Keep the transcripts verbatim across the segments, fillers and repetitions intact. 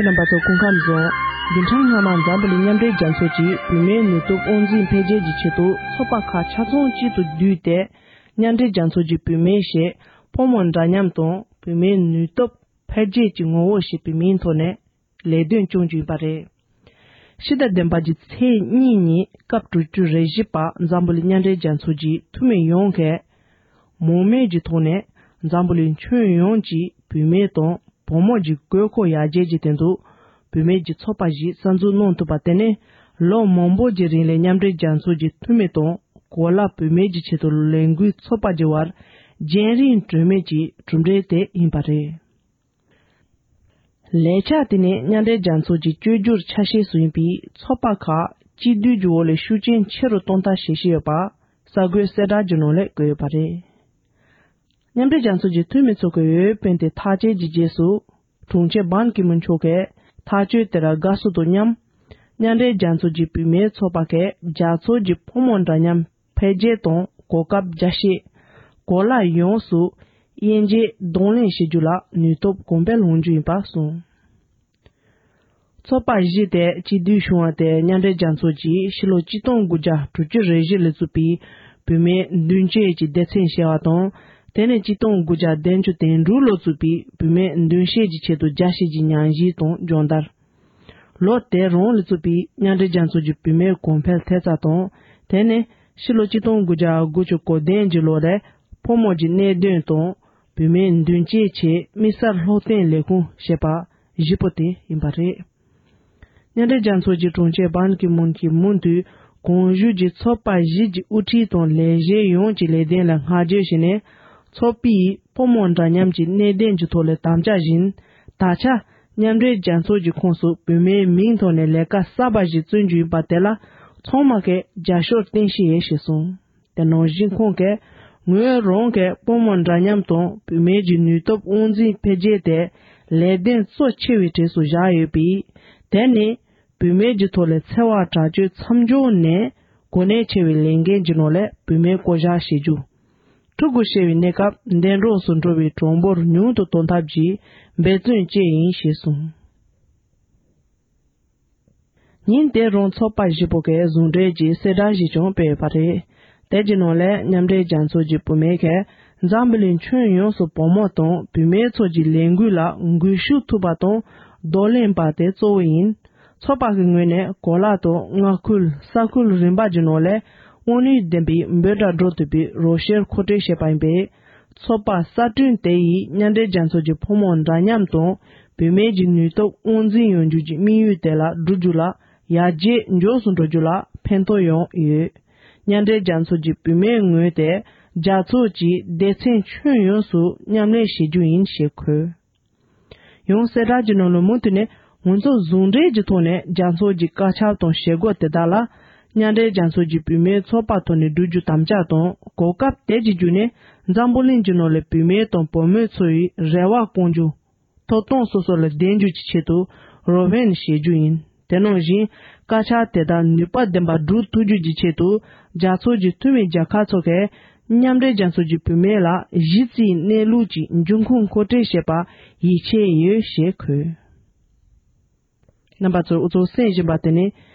རྣམ་པ་ཚོ་སྐུ་ཁམས་བཟང་། བདུན་ཕྲག་སྔ་མ་འཛམ་བུ་གླིང་མཉམ་འབྲེལ་རྒྱལ་ཚོགས་ཀྱིས་བུད་མེད་ནུས་སྟོབས་དབང་འཛིན་འཕེལ་རྒྱས་ཀྱི་ཆེད་དུ་ཚོགས་པ་ཁག་ཆ་ཚང་གཅིག་ཏུ་བསྡུས་ཏེ། མཉམ་འབྲེལ་རྒྱལ་ཚོགས་ཀྱི་བུད་མེད་ཞེས་ཕོ་མོ་འདྲ་མཉམ་དང་བུད་མེད་ནུས་སྟོབས་འཕེལ་རྒྱས་ཀྱི་ངོ་བོ་ཞེས་པའི་མིང་ཐོག་ནས་ལས་དོན་སྐྱོང་རྒྱུ་ཡིན་པ་རེད། ཕྱི་ཟླ་བདུན་པ་གྱི་ཚེས་གཉིས་ཉིན་སྐབས་དྲུག་ཅུ་རེ་བཞི་པ་འཛམ་བུ་གླིང་མཉམ་འབྲེལ་རྒྱལ་ཚོགས་ཀྱི་འཐུས་མི་ཡོངས་ཀྱིས་མོང་མེད་ཀྱི་ཐོག་ནས་འཛམ་བུ་གླིང་ཁྱོན་ཡོངས་ཀྱི་བུད་མེད་དང་བུ་མོ་གྱི་དགོས་མཁོ་ཡར་རྒྱས་ཀྱི་དོན་དུ་བུད་མེད་ཀྱི་ཚོགས་པ་ཞིག་གསར་འཛུགས་གནང་ཐུབ་པ་དེ་ནི་ལོ་མང་པོ་གྱི་རིང་ལ་མཉམ་འབྲེལ་རྒྱལ་ཚོགས་ཀྱི་འཐུས་མི་དང་གོ་ལ་བུད་མེད་ཀྱི་ཆེད་དུ་ལས་འགུལ་ཚོགས་པ་གྱི་བར་རྒྱང་རིང་གྲོས་མོལ་གྱི་གྲུབ་འབྲས་དེ་ཡིན་པ་རེད། ལས་འཆར་དེ་ནི་མཉམ་འབྲེལ་རྒྱལ་ཚོགས་ཀྱི་བཅོས་བསྒྱུར་ཆ་ཤས་སུ་ཡིན་པའི་ཚོགས་པ་ཁག་གཅིག་སྡུད་ཀྱི་འོག་ལས་ཤུགས་རྐྱེན་ཆེ་རུ་གཏོང་ཐབས་བྱེད་བཞིན་ཡོད་པ་གསར་འགོད་གསལ་བསྒྲགས་ཀྱི་ནང་ལ་བཀོད་ཡོད་པ་རེད། མཉམ་འབྲེལ་རྒྱལ་ཚོགས་ཀྱི་འཐུས་མི་ཚོ་གི་འོས་འཕེན་དེ་ཐག་བཅད་ཀྱི་རྗེས་སུ། དྲུང་ཆེ་བྷན་ཀི་མུན་མཆོག་གིས་ཐག་གཅོད་དེར་དགའ་བསུ་དང་མཉམ། མཉམ་འབྲེལ་རྒྱལ་ཚོགས་ཀྱི་བུད་མེད་ཚོགས་པ་གིས་རྒྱལ་ཚོགས་ཀྱི་ཕོ་མོ་འདྲ་མཉམ་འཕེལ་རྒྱས་དང་གོ་སྐབས་རྒྱ་སྐྱེད། གོ་ལ་ཡོངས་སུ་དབྱེ་འབྱེད་གདོང་ལེན་བྱེད་རྒྱུ་ལ་ནུས་སྟོབས་གོང་འཕེལ་འོང་རྒྱུ་ཡིན་པ་གསུངས། ཚོགས་པ་བཞི་དེ་གཅིག་སྡུད་བྱུང་བ་དེ་མཉམ་འབྲེལ་རྒྱལ་ཚོགས་ཀྱིས་ཕྱི་ལོ་ཆིག་སྟོང་དགུ་བརྒྱ་དྲུག་ཅུ་རེ་བཞི་ལ་བཙུགས་པའི་བུད་མེད་མདུན་སྐྱོད་ཀྱི་སྡེ་ཚན་ཞེས་པ་དང་། དེ་ནས་ཆིག་སྟོང་དགུ་བརྒྱ་བདུན་ཅུ་དོན་དྲུག་ལོར་བཙུགས་པའི་བུད་མེད་མདུན་སྐྱོད་ཀྱི་ཆེད་དུ་རྒྱ་སྐྱེད་ཀྱི་ཉམས་ཞིབ་དང་སྦྱོང་བརྡར། ལོ་དེ་རང་ལ་བཙུགས་པའི་མཉམ་འབྲེལ་རྒྱལ་ཚོགས་ཀྱི་བུད་མེད་གོང་འཕེལ་ཐེབས་རྩ་དང་། དེ་ནས་ཕྱི་ལོ་ཆིག་སྟོང་དགུ་བརྒྱ་དགུ་བཅུ་གོ་བདུན་གྱི་ལོ་ལ་ཕོ་མོ་གྱི་གནད་དོན་དང་། བུད་མེད་མདུན་སྐྱོད་ཆེད་དམིགས་བསལ་སློབ་སྟོན་ལས་ཁུངས་ཞེས་པ་བཞི་པོ་དེ་ཡིན་པ་རེད། མཉམ་འབྲེལ་རྒྱལ་ཚོགས་ཀྱི་དྲུང་ཆེ་བྷན་ཀི་མུན་གྱིས་མུ་མཐུད་གོང་ཞུས་ཀྱི་ཚོགས་པ་བཞི་གྱི་དབུ་ཁྲིད་དང་ལས་བྱེད་ཡོངས་ཀྱི་ལས་དོན་ལ་བསྔགས་བརྗོད་བྱས་ནས། ཚོགས་པས་ཕོ་མོ་འདྲ་མཉམ་གྱི་གནད་དོན་གྱི་ཐོག་ལ་དམ་བཅའ་བཞིན། ད་ཆ་མཉམ་འབྲེལ་རྒྱལ་ཚོགས་ཀྱི་ཁོངས་སུ་བུད་མེད་མིང་ཐོག་ནས་ལས་ཀ་གསར་པ་ཞིག་བརྩོན་རྒྱུ་ཡིན་པ་དེ་ལ་ཚང་མ་གིས་རྒྱབ་སྐྱོར་བསྟན་ཤིག་ཞེས་གསུངས། དེ་ནང་བཞིན་ཁོང་གིས་ངོས་རང་གིས་ཕོ་མོ་འདྲ་མཉམ་དང་བུད་མེད་ཀྱི་ནུས་སྟོབས་དབང་འཛིན་འཕེལ་རྒྱས་དེ་ལས་དོན་གཙོ་ཆེ་བའི་གྲས་སུ་བཞག་ཡོད་པས། དེ་ནི་བུད་མེད་ཀྱི་ཐོག་ལ་འཚེ་བ་དྲག་སྤྱོད་མཚམས་འཇོག་ནས་གོ་གནས་ཆེ་བའི་ལས་འགན་གྱི་ནང་ལ་བུད་མེད་བསྐོ་གཞག་བྱེད་རྒྱུ། ཕྲུ་གུ་སྐྱེ་བའི་གནས་སྐབས་འདས་གྲོངས་སུ་འགྲོ་བའི་གྲངས་འབོར་ཉུང་དུ་གཏོང་ཐབས་ཀྱི་འབད་བརྩོན་བཅས་ཡིན་ཞེས་གསུངས། ཉིན་དེ་རང་ཚོགས་པ་བཞི་པོ་གིས་ཟུང་འབྲེལ་གྱིས་གསལ་བསྒྲགས་ཤིག་ཀྱང་སྤེལ་ཡོད་པ་རེད། དེ་གྱི་ནང་ལས་མཉམ་འབྲེལ་རྒྱལ་ཚོགས་ཀྱི་བུད་མེད་ཀྱིས་འཛམ་བུ་གླིང་ཁྱོན་ཡོངས་སུ་བུ་མོ་དང་བུད་མེད་ཚོགས་ཀྱི་ལས་འགུལ་ལ་འགུལ་ཤུགས་ཐུབ་པ་དང་གདོང་ལེན་པ་དེ་གཙོ་བོ་ཡིན། ཚོགས་པ་གི་ངོས་ནས་གོ་ལ་དང་མངའ་ཁུལ་ས་ཁུལ་རིམ་པ་གྱི་ནང་ལས་དབང་ནུས་ལྡན་པའི་འབོད་སྒྲ་སྒྲོག་ཐུབ་པའི་རོགས་སྐྱོར་མཁོ་སྤྲོད་བྱས་པ་ཡིན་པས། ཚོགས་པ་གསར་སྐྲུན་དེ་ཡིས་མཉམ་འབྲེལ་རྒྱལ་ཚོགས་ཀྱི་ཕོ་མོ་འདྲ་མཉམ་དང་བུད་མེད་ཀྱི་ནུས་སྟོབས་དབང་འཛིན་ཡོང་རྒྱུ་གྱི་དམིགས་ཡུལ་དེ་ལ་བསྒྲུབ་རྒྱུ་ལ་ཡར་རྒྱས་མགྱོགས་སུ་འགྲོ་རྒྱུ་ལ་ཕན་ཐོགས་ཡོང་ཡོད། མཉམ་འབྲེལ་རྒྱལ་ཚོགས་ཀྱི་བུད་མེད་ངོས་དེ་རྒྱལ་ཚོགས་ཀྱི་སྡེ་ཚན་ཁྱོན་ཡོངས་སུ་མཉམ་ལས་བྱེད་རྒྱུ་ཡིན་ཞེས་འཁོད། ཡང་གསལ་བསྒྲགས་ཀྱི་ནང་ལ་མུ་མཐུད་ནས་ང་ཚོ་ཟུང་འབྲེལ་གྱི་ཐོག་ནས་རྒྱལ་ཚོགས་ཀྱི་བཀའ་ཁྱབ་དང་བྱེད་སྒོ་དེ་དག་ལ་མཉམ་འབྲེལ་རྒྱལ་ཚོགས་ཀྱི་བུད་མེད་ཚོགས་པ་ཐོག་ནས་བསྒྲུབ་རྒྱུ་དམ་བཅའ་དང་གོ་སྐབས་དེ་གྱི་བརྒྱུད་ནས་འཛམ་བུ་གླིང་གི་ནང་ལ་བུད་མེད་དང་བུ་མོའི་འཚོ་བའི་རེ་བ་སྐོང་རྒྱུ། ཐོབ་ཐང་སོ་སོ་ལ་ལྡན་རྒྱུ་གྱི་ཆེད་དུ་རོགས་ཕན་བྱེད་རྒྱུ་ཡིན། དེ་ནང་བཞིན་བཀའ་ཤག་དེ་དག་ནུས་པ་ལྡན་པ་སྒྲུབ་ཐུབ་རྒྱུ་གྱི་ཆེད་དུ་རྒྱལ་ཚོགས་ཀྱི་འཐུས་མི་རྒྱལ་ཁབ་ཚོ་གས་མཉམ་འབྲེལ་རྒྱལ་ཚོགས་ཀྱི་བུད་མེད་ལ་གཞི་རྩའི་གནས་ལུགས་ཀྱི་འབྱུང་ཁུངས་མཁོ་སྤྲོད་བྱེད་པར་ཡིད་ཆེས་ཡོད་ཞེས་འཁོད། རྣམ་པ་ཚོས་འུ་ཚོ་གསན་བཞིན་པ་དེ་ནི་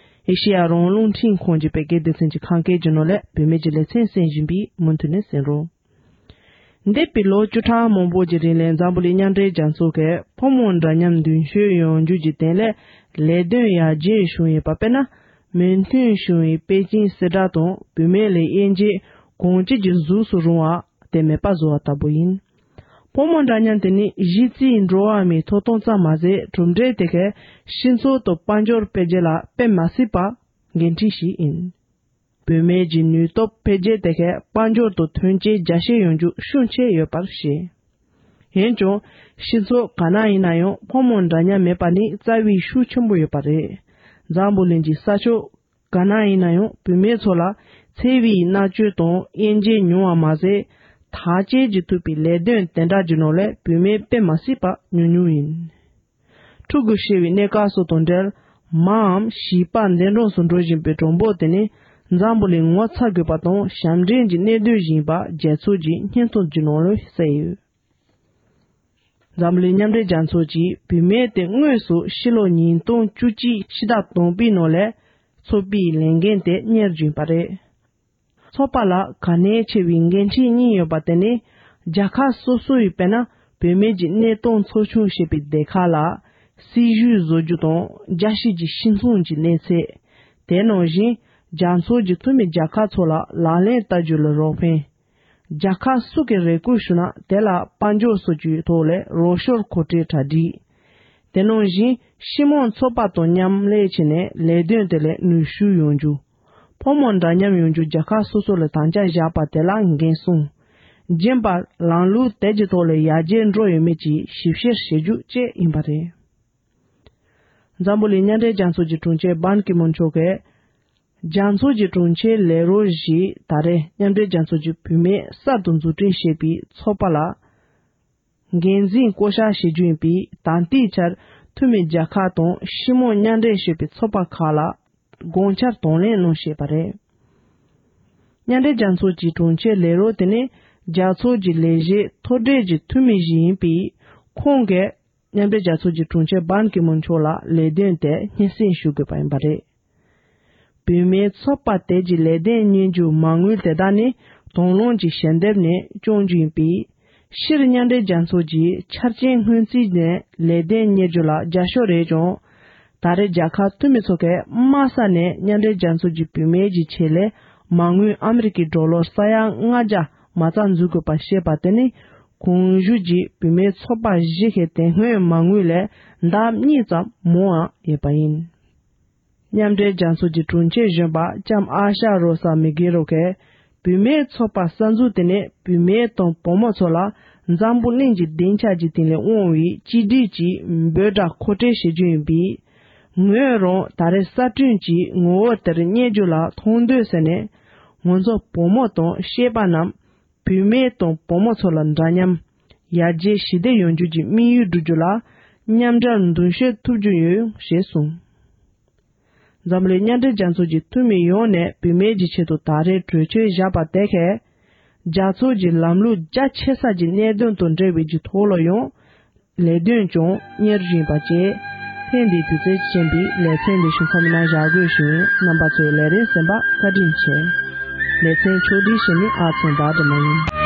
ཨེ་ཤེ་ཡ་རང་དབང་རླུང་འཕྲིན་ཁང་གི་བོད་སྐད་སྡེ་ཚན་གྱི་ཁམས་སྐད་ཀྱི་ནང་ལས་བུད་མེད་ཀྱི་ལེ་ཚན་གསན་བཞིན་པའི་མུ་མཐུད་ནས་གསན་རོགས། འདས་པའི་ལོ་བཅུ་ཕྲག་མང་པོ་གྱི་རིང་ལ་འཛམ་བུ་གླིང་མཉམ་འབྲེལ་རྒྱལ་ཚོགས་ཀྱིས་ཕོ་མོ་འདྲ་མཉམ་མདུན་སྐྱོད་ཡོང་རྒྱུ་གྱི་དོན་ལས་ལས་དོན་ཡར་རྒྱས་བྱུང་ཡོད་པ། དཔེར་ན། མོས་མཐུན་བྱུང་བའི་པེ་ཅིང་གསལ་བསྒྲགས་དང་བུད་མེད་ལ་དབྱེ་འབྱེད་གང་ཅི་གི་གཟུགས་སུ་རུང་བ་དེ་མེད་པ་བཟོ་བ་ལྟ་བུ་ཡིན། ཕོ་མོ་འདྲ་མཉམ་དེ་ནི་གཞི་རྩའི་འགྲོ་བ་མིའི་ཐོབ་ཐང་ཙམ་མ་ཟད། གྲུབ་འབྲས་དེ་གའི་སྤྱི་ཚོགས་དང་དཔལ་འབྱོར་འཕེལ་རྒྱས་ལ་དཔེ་མ་སྲིད་པ་འགན་འཁྲི་ཞིག་ཡིན། བུད་མེད་ཀྱི་ནུས་སྟོབས་འཕེལ་རྒྱས་དེ་གའི་དཔལ་འབྱོར་དང་ཐོན་སྐྱེད་རྒྱ་སྐྱེད་ཡོང་རྒྱུ་ཤུགས་ཆེ་ཡོད་པར་བཤད། འོན་ཀྱང་། སྤྱི་ཚོགས་ག་ན་ཡིན་ན་ཡང་ཕོ་མོ་འདྲ་མཉམ་མེད་པ་ནི་རྩ་བའི་ཤུགས་ཆེན་པོ་ཡོད་པ་རེད། འཛམ་བུ་གླིང་གི་ས་ཕྱོགས་ག་ན་ཡིན་ན་ཡང་བུད་མེད་ཚོ་ལ་འཚེ་བའི་མནར་གཅོད་དང་དབྱེ་འབྱེད་ཉུང་བ་མ་ཟད། ཐག་གཅོད་བྱེད་ཐུབ་པའི་ལས་དོན་དེ་འདྲ་གྱི་ནང་ལས་བུད་མེད་དཔེ་མ་སྲིད་པ་ཉུང་ཉུང་ཡིན། ཕྲུ་གུ་སྐྱེ་བའི་གནས་སྐབས་སོགས་དང་འབྲེལ། མའམ་བྱིས་པ་འདས་གྲོངས་སུ་འགྲོ་བཞིན་པའི་གྲངས་འབོར་དེ་ནི་འཛམ་བུ་གླིང་ངོ་ཚ་དགོས་པ་དང་ཞབས་འདྲེན་གྱི་གནད་དོན་ཞིག་ཡིན་པ་རྒྱལ་ཚོགས་ཀྱི་སྙན་ཐོ་གྱི་ནང་ལ་གསལ་ཡོད། འཛམ་གླིང་མཉམ་འབྲེལ་རྒྱལ་ཚོགས་ཀྱིས་བུད་མེད་དེ་དངོས་སུ་ཕྱི་ལོ་ཉིས་སྟོང་བཅུ་གཅིག་ཕྱི་ཟླ་དང་པོའི་ནང་ལ་ཚོགས་པའི་ལས་འགན་དེ་གཉེར་བཞིན་པ་རེད། ཚོགས་པ་ལ་གལ་གནད་ཆེ་བའི་འགན་འཁྲི་གཉིས་ཡོད་པ་དེ་ནི། རྒྱལ་ཁབ་སོ་སོ་ཡིས་དཔེར་ན་བུད་མེད་ཀྱི་གནས་སྟངས་ཚོགས་ཆུང་ཞེས་པའི་སྡེ་ཁག་ལ་སྲིད་ཇུས་བཟོ་རྒྱུ་དང་རྒྱལ་སྤྱི་གི་སྤྱི་ཚོགས་ཀྱི་གནས་ཚད། དེ་ནང་བཞིན་རྒྱལ་ཚོགས་ཀྱི་འཐུས་མི་རྒྱལ་ཁག་ཚོ་ལ་ལག་ལེན་བསྟར་རྒྱུ་ལ་རོགས་ཕན། རྒྱལ་ཁབ་སུ་གིས་རེ་སྐུལ་ཞུ་ན་དེ་ལ་དཔལ་འབྱོར་སོགས་ཀྱི་ཐོག་ལས་རོགས་སྐྱོར་གོ་སྒྲིག་གྲ་སྒྲིག། དེ་ནང་བཞིན་སྤྱི་དམངས་ཚོགས་པ་དང་མཉམ་ལས་བྱས་ནས་ལས་དོན་དེ་ལས་ནུས་ཤུགས་ཡོང་རྒྱུ། ཕོ་མོ་འདྲ་མཉམ་ཡོང་རྒྱུ་རྒྱལ་ཁབ་སོ་སོ་ལ་དམ་བཅའ་བཞག་པ་དེ་ལ་འགན་སྲུང་། རྒྱུན་པར་ལམ་ལུགས་དེ་གྱི་ཐོག་ལ་ཡར་རྒྱས་འགྲོ་ཡོད་མེད་ཀྱི་ཞིབ་བཤེར་བྱེད་རྒྱུ་བཅས་ཡིན་པ་རེད། འཛམ་བུ་གླིང་མཉམ་འབྲེལ་རྒྱལ་ཚོགས་ཀྱི་དྲུང་ཆེ་བྷན་ཀི་མུན་མཆོག་གིས། རྒྱལ་ཚོགས་ཀྱི་དྲུང་ཆེ་ལས་རོགས་ཞིག་ད་རེས་མཉམ་འབྲེལ་རྒྱལ་ཚོགས་ཀྱི་བུད་མེད་གསར་དུ་འཛུགས་སྐྲུན་བྱས་པའི་ཚོགས་པ་ལ། འགན་འཛིན་བསྐོ་བཞག་བྱེད་རྒྱུ་ཡིན་པས། ད་ལྟའི་ཆར་འཐུས་མི་རྒྱལ་ཁག་དང་སྤྱི་དམངས་མཉམ་འབྲེལ་བྱས་པའི་ཚོགས་པ་ཁག་ལ་དགོངས་འཆར་དང་ལེན་གནང་བཞིན་པ་རེད། མཉམ་འབྲེལ་རྒྱལ་ཚོགས་ཀྱི་དྲུང་ཆེ་ལས་རོགས་དེ་ནི་རྒྱལ་ཚོགས་ཀྱི་ལས་བྱེད་མཐོ་གྲས་ཀྱི་འཐུས་མི་ཞིག་ཡིན་པས། ཁོང་གིས་མཉམ་འབྲེལ་རྒྱལ་ཚོགས་ཀྱི་དྲུང་ཆེ་བྷན་ཀི་མུན་མཆོག་ལ་ལས་དོན་དེ་སྙན་སེང་ཞུ་དགོས་པ་ཡིན་པ་རེད། བུད་མེད་ཚོགས་པ་དེ་གྱི་ལས་དོན་གཉེར་རྒྱུ་མ་དངུལ་དེ་དག་ནི་དང་བླངས་ཀྱི་ཞལ་འདེབས་ནས་སྐྱོང་རྒྱུ་ཡིན་པས། སྤྱིར་མཉམ་འབྲེལ་རྒྱལ་ཚོགས་ཀྱི་ཆ་རྐྱེན་སྔོན་རྩིས་ནས་ལས་དོན་གཉེར་རྒྱུ་ལ་རྒྱབ་སྐྱོར་རེད་ཀྱང་། ད་རེས་རྒྱལ་ཁབ་འཐུས་མི་ཚོ་གས་དམའ་ས་ནས་མཉམ་འབྲེལ་རྒྱལ་ཚོགས་ཀྱི་བུད་མེད་ཀྱི་ཆེད་ལས་མ་དངུལ་ཨ་མི་རི་ཀའི་ཌོ་ལར་ས་ཡ་ལྔ་བརྒྱ་མ་རྩ་འཛུགས་དགོས་པ་བཤད་པ་དེ་ནི། གོང་ཞུས་ཀྱི་བུད་མེད་ཚོགས་པ་བཞི་གི་དེ་སྔོན་མ་དངུལ་ལས་ལྡབ་གཉིས་ཙམ་མང་བ་ཡོད་པ་ཡིན། མཉམ་འབྲེལ་རྒྱལ་ཚོགས་ཀྱི་དྲུང་ཆེ་གཞོན་པ་ལྕམ་ཨ་ཤ་རོ་ས་མི་གེ་རོ་གས། བུད་མེད་ཚོགས་པ་གསར་འཛུགས་དེ་ནས་བུད་མེད་དང་བུ་མོ་ཚོ་ལ་འཛམ་བུ་གླིང་གི་སྡིངས་ཆ་གི་སྟེང་ལ་དབང་བའི་གཅིག་སྒྲིལ་གྱི་འབོད་སྒྲ་མཁོ་སྤྲོད་བྱེད་རྒྱུ་ཡིན་པས། ངོས་རང་ད་རེས་གསར་སྐྲུན་གྱི་ངོ་བོ་དེར་བསྙད་རྒྱུ་ལ་མཐོང་འདོད་ཟེར་ནས། ང་ཚོ་བུ་མོ་དང་སྐྱེས་པ་རྣམས་བུད་མེད་དང་བུ་མོ་ཚོ་ལ་འདྲ་མཉམ། ཡར་རྒྱས་ཞི་བདེ་ཡོང་རྒྱུ་གྱི་དམིགས་ཡུལ་བསྒྲུབ་རྒྱུ་ལ་མཉམ་འབྲེལ་མདུན་སྐྱོད་ཐུབ་རྒྱུ་ཡོད་ཞེས་གསུངས། འཛམ་གླིང་མཉམ་འབྲེལ་རྒྱལ་ཚོགས་ཀྱི་འཐུས་མི་ཡོངས་ནས་བུད་མེད་ཀྱི་ཆེད་དུ་ད་རེས་གྲོས་ཆོད་བཞག་པ་དེ་གས། རྒྱལ་ཚོགས་ཀྱི་ལམ་ལུགས་རྒྱ་ཆེ་ས་ཀྱི་གནད་དོན་དང་འབྲེལ་བའི་གྱི་ཐོག་ལ་ཡང་ལས་དོན་ཀྱང་གཉེར་བཞིན་པ་བཅས། ཐེངས་འདིའི་དུས་ཚོད་ཀྱི་རྐྱེན་པས་ལེ་ཚན་འདི་ཞུ་མཚམས་ནང་བཞག་དགོས་ཞུ་ཡིན། རྣམ་པ་ཚོས་ལས་རིམ་གསན་པ་བཀའ་དྲིན་ཆེ། ལེ་ཚན་ཕྱོགས་སྒྲིག་བྱེད་མི་ཨ་ཚང་བདག་སྒྲོལ་མ་ཡིན།